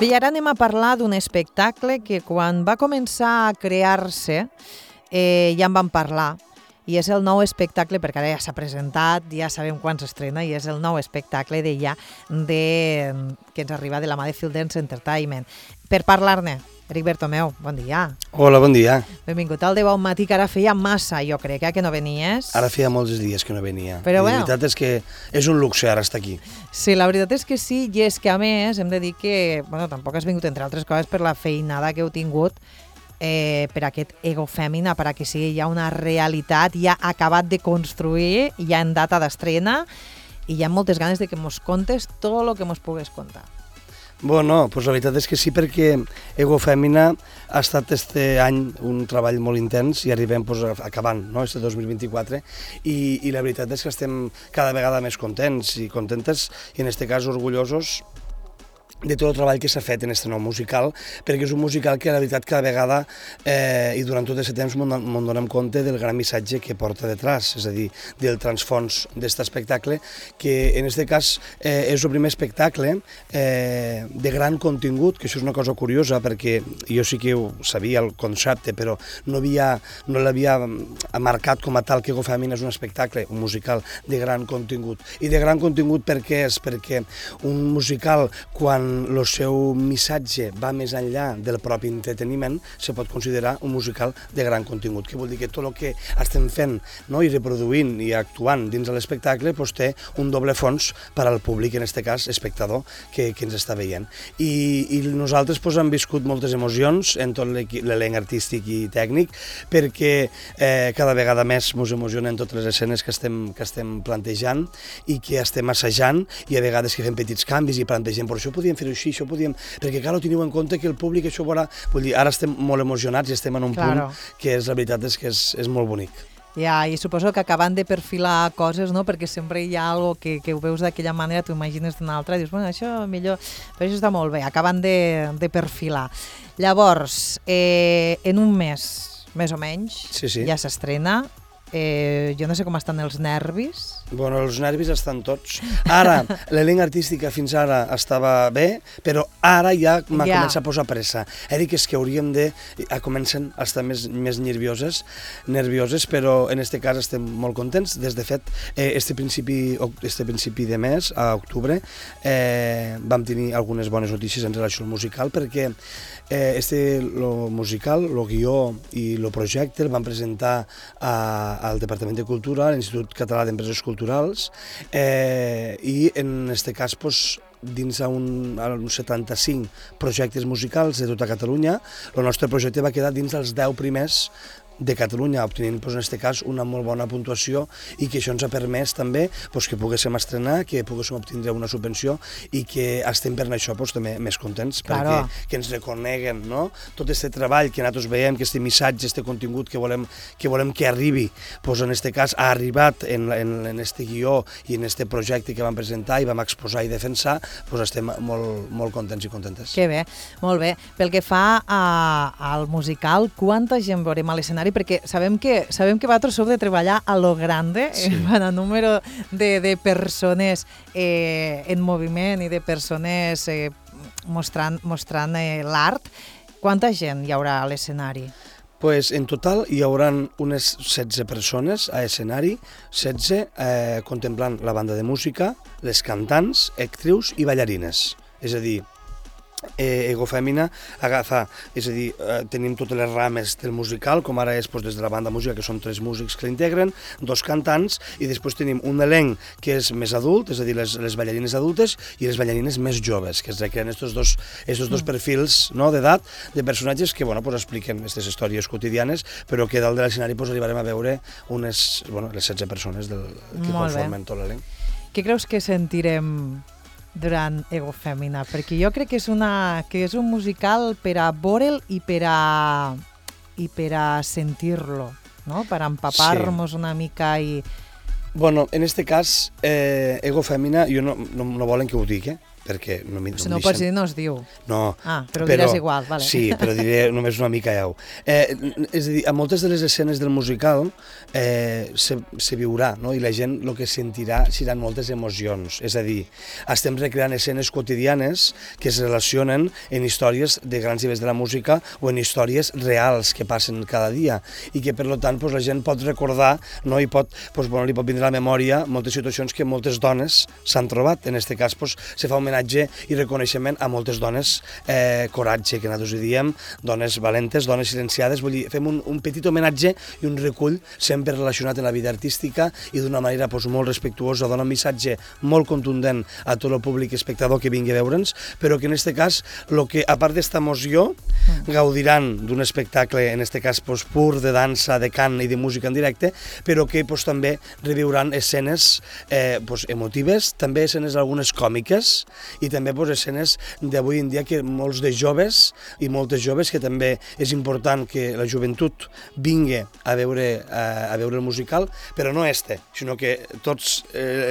Bé, i ara anem a parlar d'un espectacle que quan va començar a crear-se ja en vam parlar, i és el nou espectacle, perquè ara ja s'ha presentat, ja sabem quan s'estrena, i és el nou espectacle que ens arriba de la mà de Field Dance Entertainment. Per parlar-ne, Eric Bertomeu, bon dia. Hola, bon dia. Benvingut al De Bon Matí, que ara feia massa, jo crec, que no venies. Ara feia molts dies que no venia. Però la veritat és que és un luxe ara estar aquí. Sí, la veritat és que sí, i és que a més hem de dir que tampoc has vingut, entre altres coses, per la feinada que heu tingut per aquest Ego Fèmina, perquè sigui ja una realitat, ja acabat de construir, ja en data d'estrena, i hi ha moltes ganes de que mos contes tot el que mos pugues contar. Bueno, pues la veritat és que sí, perquè Ego Fèmina ha estat este any un treball molt intens i arribem acabant, no?, este 2024, i la veritat és que estem cada vegada més contents i contentes, i en este cas orgullosos de tot el treball que s'ha fet en aquest nou musical, perquè és un musical que la veritat cada vegada i durant tot aquest temps m'en donem compte del gran missatge que porta detrás, és a dir, del transfons d'aquest espectacle, que en aquest cas és el primer espectacle de gran contingut, que això és una cosa curiosa, perquè jo sí que ho sabia el concepte, però no l'havia marcat com a tal que Ego Fèmina és un espectacle, un musical de gran contingut. I de gran contingut per què és? Perquè un musical, quan el seu missatge va més enllà del propi entreteniment, se pot considerar un musical de gran contingut, que vol dir que tot el que estem fent, no?, i reproduint i actuant dins de l'espectacle té un doble fons per al públic, en aquest cas espectador, que ens està veient. I nosaltres hem viscut moltes emocions en tot l'elenc artístic i tècnic, perquè cada vegada més ens emocionen totes les escenes que estem plantejant i que estem assajant, i a vegades que fem petits canvis i plantegem, però això podíem fer-ho així, això podíem... Perquè, clar, teniu en compte que el públic això veurà... Vull dir, ara estem molt emocionats i estem en un punt que la veritat és que és molt bonic. Ja, i suposo que acabant de perfilar coses, no?, perquè sempre hi ha algo que ho veus d'aquella manera, t'ho imagines d'una altra, i dius, bueno, això millor... Però això està molt bé, acabant de perfilar. Llavors, en un mes, més o menys, ja s'estrena. Jo no sé com estan els nervis. Bueno, els nervis estan tots. Ara, l'elenc artístic fins ara estava bé, però ara ja m'ha començat a posar pressa. Eric, és que hauríem de... Comencen a estar més nervioses, però en aquest cas estem molt contents. Des de fet, este principi de mes, a octubre, vam tenir algunes bones notícies en relació al musical, perquè el musical, el guió i el projecte el van presentar al Departament de Cultura, a l'Institut Català d'Empreses Culturals, i en aquest cas, dins uns 75 projectes musicals de tota Catalunya, el nostre projecte va quedar dins dels 10 primers de Catalunya, obtenint en aquest cas una molt bona puntuació, i que això ens ha permès també que poguéssim estrenar, que poguéssim obtindre una subvenció, i que estem per això també més contents, perquè que ens reconeguen, no?, tot aquest treball que nosaltres veiem, que aquest missatge, aquest contingut que volem que arribi, en aquest cas ha arribat en aquest guió i en aquest projecte que vam presentar i vam exposar i defensar, estem molt contents i contentes. Que bé, molt bé. Pel que fa al musical, quanta gent veurem a l'escenari? Perquè sabem que vosaltres sou de treballar a lo grande, en el número de persones en moviment i de persones mostrant l'art. Quanta gent hi haurà a l'escenari? En total hi haurà unes 16 persones a escenari, 16 contemplant la banda de música, les cantants, actrius i ballarines. És a dir, Ego Fèmina agafa, és a dir, tenim totes les rames del musical, com ara és des de la banda de música, que són 3 músics que l'integren, 2 cantants, i després tenim un elenc que és més adult, és a dir, les ballarines adultes i les ballarines més joves, que es recreen aquests dos perfils d'edat, de personatges que expliquen aquestes històries quotidianes, però que dalt de l'escenari arribarem a veure les 16 persones que conformen tot l'elenc. Què creus que sentirem durant Ego Fèmina? Perquè jo crec que és un musical per a veure'l i per a sentir-lo, no?, per empapar-nos una mica i Bueno, en este cas, Ego Fèmina, jo no volen que ho digui, perquè no m'hi Si no ho pots dir, no es diu. No. Però ho diràs igual, vale. Sí, però diré només una mica ja. És a dir, a moltes de les escenes del musical se viurà, no? I la gent el que sentirà seran moltes emocions. És a dir, estem recreant escenes quotidianes que es relacionen en històries de grans nivells de la música o en històries reals que passen cada dia i que, per tant, la gent pot recordar, no? I li pot vindre a la memòria moltes situacions que moltes dones s'han trobat. En aquest cas, se fa homenatge i reconeixement a moltes dones, coratge, que nosaltres hi diem, dones valentes, dones silenciades. Vull dir, fem un petit homenatge i un recull sempre relacionat amb la vida artística i d'una manera molt respectuosa, dona un missatge molt contundent a tot el públic espectador que vingui a veure'ns, però que en aquest cas, a part d'esta emoció, gaudiran d'un espectacle, en aquest cas pur de dansa, de cant i de música en directe, però que també reviuran escenes emotives, també escenes algunes còmiques, i també escenes d'avui en dia que molts de joves i moltes joves, que també és important que la joventut vingui a veure el musical, però no sinó que tots,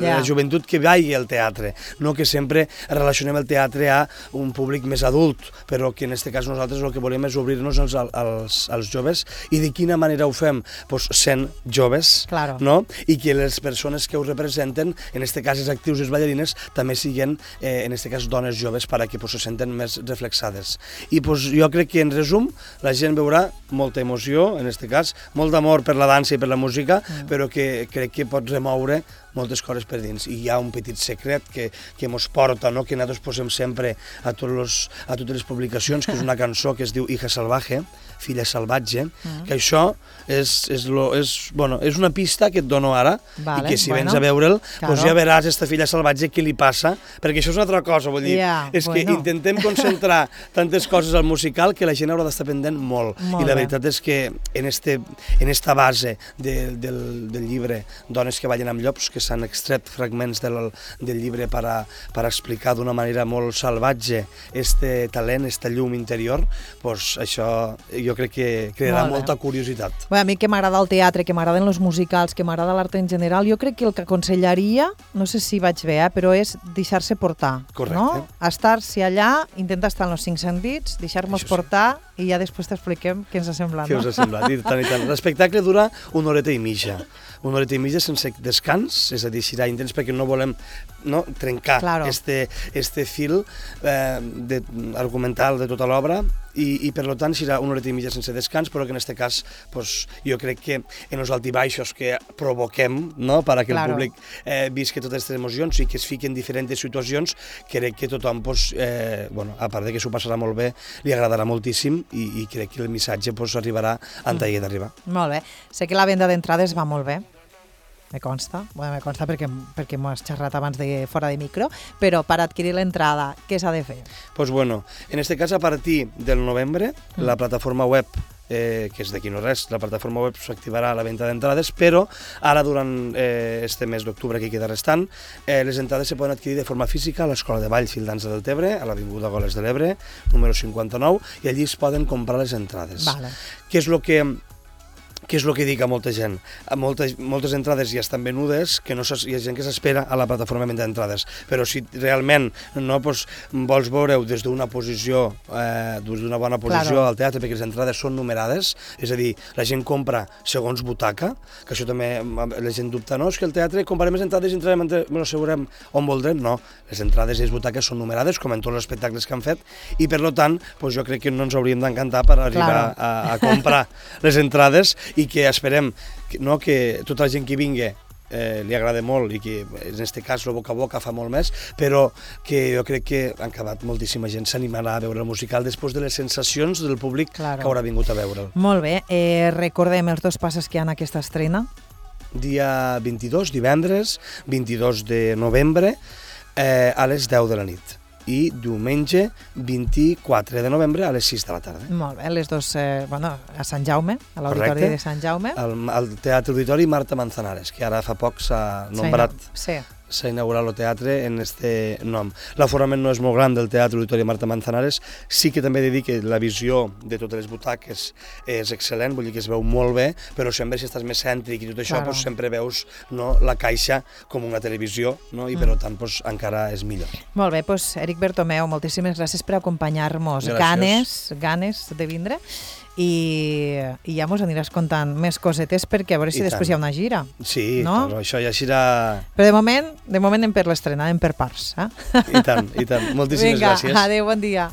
la joventut que vagi al teatre, no que sempre relacionem el teatre a un públic més adult, però que en aquest cas nosaltres el que volem és obrir-nos als joves. I de quina manera ho fem? Sent joves, no? I que les persones que ho representen, en aquest cas els actius i les ballarines, també siguin en aquest cas dones joves, perquè se senten més reflexades. I jo crec que, en resum, la gent veurà molta emoció, en aquest cas, molt d'amor per la dansa i per la música, però que crec que pot remoure moltes coses per dins. I hi ha un petit secret que ens porta, que nosaltres posem sempre a totes les publicacions, que és una cançó que es diu Hija Salvaje, Filla Salvatge, que això és una pista que et dono ara, i que si vens a veure'l, ja veràs aquesta filla salvatge què li passa, perquè això és una altra cosa, vull dir, és que intentem concentrar tantes coses al musical que la gent haurà d'estar pendent molt. I la veritat és que en esta base del llibre Dones que ballen amb llops, que s'han extret fragments del llibre per explicar d'una manera molt salvatge este talent, esta llum interior, això jo crec que crearà molta curiositat. A mi que m'agrada el teatre, que m'agraden els musicals, que m'agrada l'art en general, jo crec que el que aconsellaria, no sé si vaig bé, però és deixar-se portar. Correcte. Estar-se allà, intentar estar en els 5 sentits, deixar-nos portar i ja després t'expliquem què ens ha semblat. Què us ha semblat, i tant i tant. L'espectacle dura 1 horeta i mitja. 1 horeta i mitja sense descans, és a dir, serà intens perquè no volem trencar este fil argumental de tota l'obra i per tant serà 1 horeta i mitja sense descans, però que en aquest cas jo crec que en els altibaixos que provoquem perquè el públic visqui totes aquestes emocions i que es fiqui en diferents situacions, crec que tothom, a part de que s'ho passarà molt bé, li agradarà moltíssim i crec que el missatge arribarà on hagi d'arribar. Molt bé. Sé que la venda d'entrades va molt bé. Me consta perquè m'ho has xerrat abans de fora de micro, però per adquirir l'entrada, què s'ha de fer? En aquest cas, a partir del novembre, la plataforma web, que és d'aquí no res, la plataforma web s'activarà a la venda d'entrades, però ara durant este mes d'octubre que queda restant, les entrades se poden adquirir de forma física a l'Escola de Ball Fil Dansa del Tebre, a l'Avinguda Goles de l'Ebre, número 59, i allí es poden comprar les entrades. Què és el que dic a molta gent? Moltes entrades ja estan venudes, que hi ha gent que s'espera a la plataforma de venda d'entrades, però si realment vols veure-ho des d'una posició, d'una bona posició al teatre, perquè les entrades són numerades, és a dir, la gent compra segons butaca, que això també la gent dubta, no? És que el teatre comprarem les entrades i entrarem, ens assegurem on voldrem. No, les entrades i les butaques són numerades, com en tots els espectacles que han fet, i per tant, jo crec que no ens hauríem d'encantar per arribar a comprar les entrades i que esperem que tota la gent que vingui li agrada molt i que en aquest cas el boca a boca fa molt més, però que jo crec que han acabat moltíssima gent s'animarà a veure el musical després de les sensacions del públic que haurà vingut a veure'l. Molt bé, recordem els 2 passes que hi ha en aquesta estrena. Dia 22, divendres, 22 de novembre, a les 10 de la nit. I diumenge 24 de novembre a les 6 de la tarda. Molt bé, les dues, a Sant Jaume, a l'Auditori de Sant Jaume. Al Teatre Auditori Marta Manzanares, que ara fa poc s'ha nombrat s'ha inaugurat el teatre en este nom. L'aforament no és molt gran del Teatre Auditori Marta Manzanares, sí que també he de dir que la visió de totes les butaques és excel·lent, vull dir que es veu molt bé, però sempre si estàs més cèntric i tot això, doncs, sempre veus, no, la caixa com una televisió, no, i per tant doncs, encara és millor. Molt bé, doncs, Eric Bertomeu, moltíssimes gràcies per acompanyar-nos. Ganes de vindre. I ja mos aniràs contant més cosetes perquè a veure si després hi ha una gira. Sí, no? Clar, això ja serà... Però de moment anem per l'estrena, anem per parts. I tant. Moltíssimes gràcies. Vinga, adéu, bon dia.